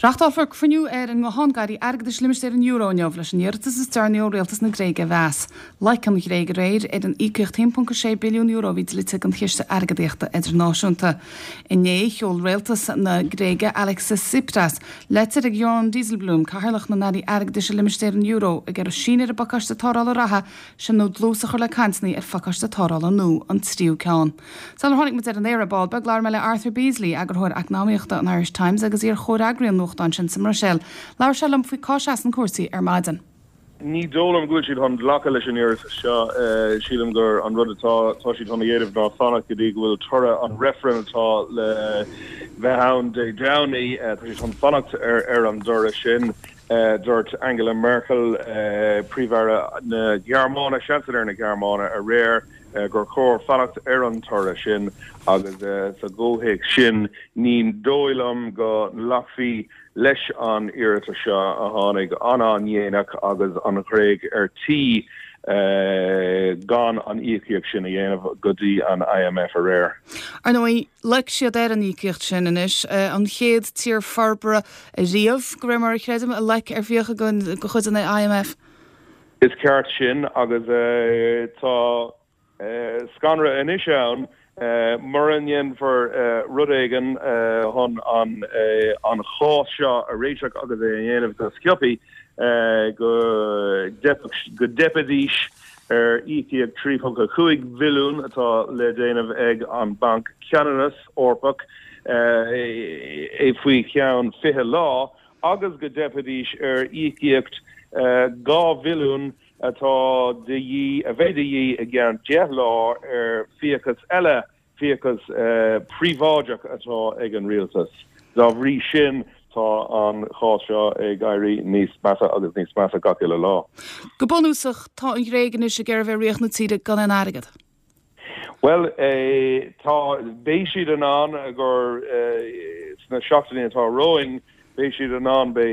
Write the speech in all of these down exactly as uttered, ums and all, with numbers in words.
Reáchtálfar cruinniú ar an nguthán d'airí airgeadais limistéar an euro inniu leis an iarratas is deireanaí ó rialtas na Gréige a mheas. Loic an Ghréig aréir ar an íocaíocht haon ponc a sé billiún euro a bhí dlite don Chiste Airgeadaíochta Idirnáisiúnta. Inné sheol rialtas na Gréige Alexis Tsipras leitir ag Jeroen Dijsselbloem, cathaoirleach na n-airí airgeadais i limistéar an euro, ag iarraidh síneadh ar an bpacáiste tarrthála reatha sin nó dlús a chur le cainteanna ar phacáiste tarrthála nua, an tríú ceann. Sular tháinig muid ar an aer ar ball beag labhair mé le Arthur Beesley, eagarthóir eacnamaíochta an Irish Times agus iar-chomhfhreagraí an nuachtáin sin sa mBruiséil. Labhair sé liom faoi cá seasann cúrsaí ar maidin. Ní dóigh liom go bhfuil siad chun glacadh leis an iarratas seo. Sílim gur an rud atá tá siad chun a dhéanamh ná fanacht go dtí go bhfuil toradh an reifrinn atá le bheith ann Dé Domhnaigh. Tá siad chun fanacht ar ar an dtoradh sin. Dúirt Angela Merkel, Príomh-Aire na Gearmáine, Seansailéir na Gearmáine aréir gur chóir fanacht ar an toradh sin agus sa gcomhthéacs sin ní dóigh liom go nglacfaí leis an iarratas seo a tháinig an-an-dhéanach agus an Ghréig ar tí gan an íocaíocht sin a dhéanamh go dtí an I M F aréir. Ar ndóigh, loic siad ar an íocaíocht sin anois, an chéad tír forbartha riamh, de réir mar a chreidim, a loic ar fiacha de chuid an I M F. Is ceart sin agus tá scanradh anois ann mura ndéanfar rud éigin chun an an chás seo a réiteach agus é a dhéanamh go sciobtha go go dteipfidís ar íocaíocht trí cúig bhilliún atá le déanamh ag an Banc Ceannais Eorpach é faoi cheann fiche lá agus go dteipfidís ar íocaíocht dhá bhilliún atá de dhíth a bheidh de dhíth i gceann deich lá ar fiachas eile, fiachas príobháideach atá ag an rialtas. Dá bhrí sin tá an chás seo ag éirí níos measa agus níos measa gach uile lá. Go bunúsach, tá an Ghréig anois ag iarraidh bheith ríocht na tíre gan an airgead. Well eh, tá beidh siad in ann gur eh, sna seachtainí atá romhainn, beidh siad in ann be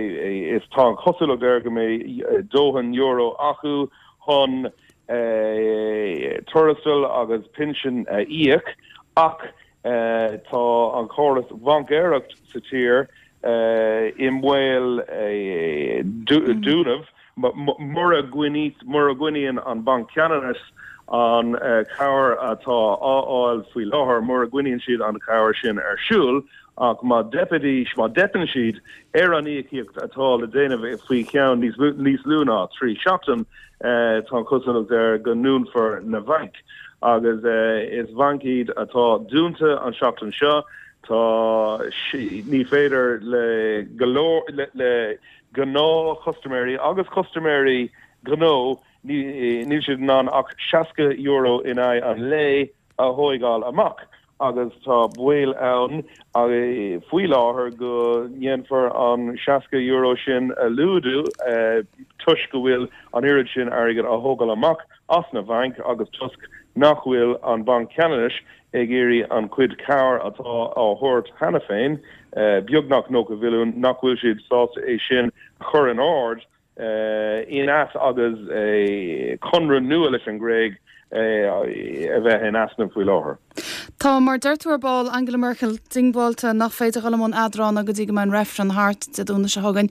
is tá an chosúlacht air go mbeidh dóthain euro acu chun tuarastal agus pinsin a íoc, ach tá an chóras baincéireacht sa tír i mbaol dúnadh mura mura gcoinníonn an Banc Ceannais an cabhair atá á fháil faoi láthair, mura gcoinníonn siad an cabhair sin ar siúl, ach má dteipfidís má dteipeann siad ar an íocaíocht atá le déanamh faoi cheann níos lú ná trí seachtain, tá an chosúlacht air go ndúnfar na bainc. Agus is bainc iad atá dúnta an seachtain seo, tá ní féidir le go leor le, le gnáthchustaiméirí agus custaiméirí gnó, níl siad in ann ach seasca euro in aghaidh an lae a thógáil amach agus tá baol ann faoi láthair go ndéanfar an seasca euro sin a laghdú toisc go bhfuil an oiread sin airgead á thógáil amach as na bainc agus toisc nach bhfuil an Banc Ceannais ag iarraidh an chuid cabhair atá á thabhairt cheana féin, beagnach nócha bhilliún, nach bhfuil siad sásta é sin a chur in ord in as agus conradh nua leis an Gréig a bheith in easnamh faoi láthair. Tá, mar deir tú ar ball, Angela Merkel diongbháilte nach féidir dul i mbun eadrána go dtí go mbeidh an reifreann thart Dé Domhnaigh seo chugainn.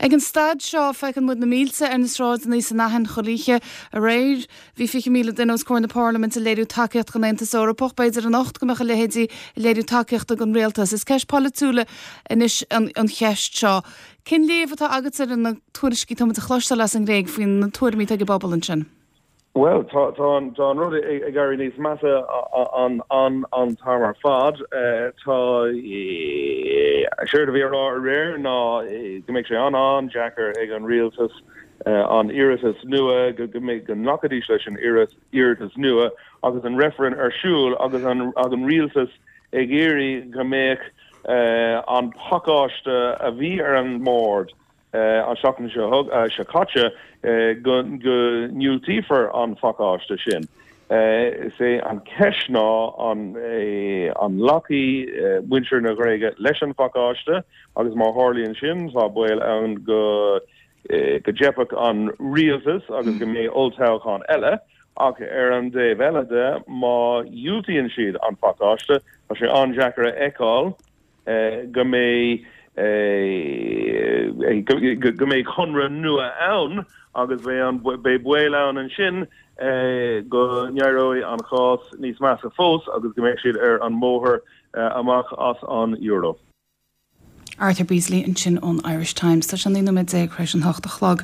Ag an staid seo feiceann muid na mílte ar na sráideanna san Aithin chuile oíche. Aréir bhí fiche míle duine os comhair na Parlaiminte ag léiriú tacaíocht don Aontas Eorpach, b'fhéidir anocht go mbeadh a leithéidí ag léiriú tacaíochta don rialtas. Is ceist polaitiúil anois an, an cheist seo. Cén léamh atá agat ar na tuairiscí atá muid a chloisteáil as an nGréig faoi na tuairimí atá ag an bpobal ansin? Well, tá tá an rud ag éirí níos measa an an an t-am ar fad. Tá séard a bhí á rá aréir ná go mbeidh sé an an-deacair ag an rialtas an iarratas nua, go go mbeidh go nglacfaidís leis an iarratas nua agus an reifreann ar siúl agus an an rialtas ag iarraidh go mbeadh an pacáiste a bhí ar an mbord an seachtain seo seo caite, go go ndiúltófar an phacáiste sin. Is é an cheist ná an an nglacfaidh muintir na Gréige leis an phacáiste, agus má tharlaíonn sin tá baol ann go go dteipfeadh an rialtas agus go mbeidh olltoghchán eile, ach ar an dtaobh eile de, má dhiúltaíonn siad an phacáiste, tá sé an-deacair a fheiceáil go mbeidh go mbeidh conradh nua ann agus beidh baol ann ansin go n-éireoidh an cás níos measa fós agus go mbeidh siad ar an mbóthar amach as an euro. Arthur Beesley ansin ón Irish Times tá sé naoi nóiméad déag tar éis an hocht a chlog.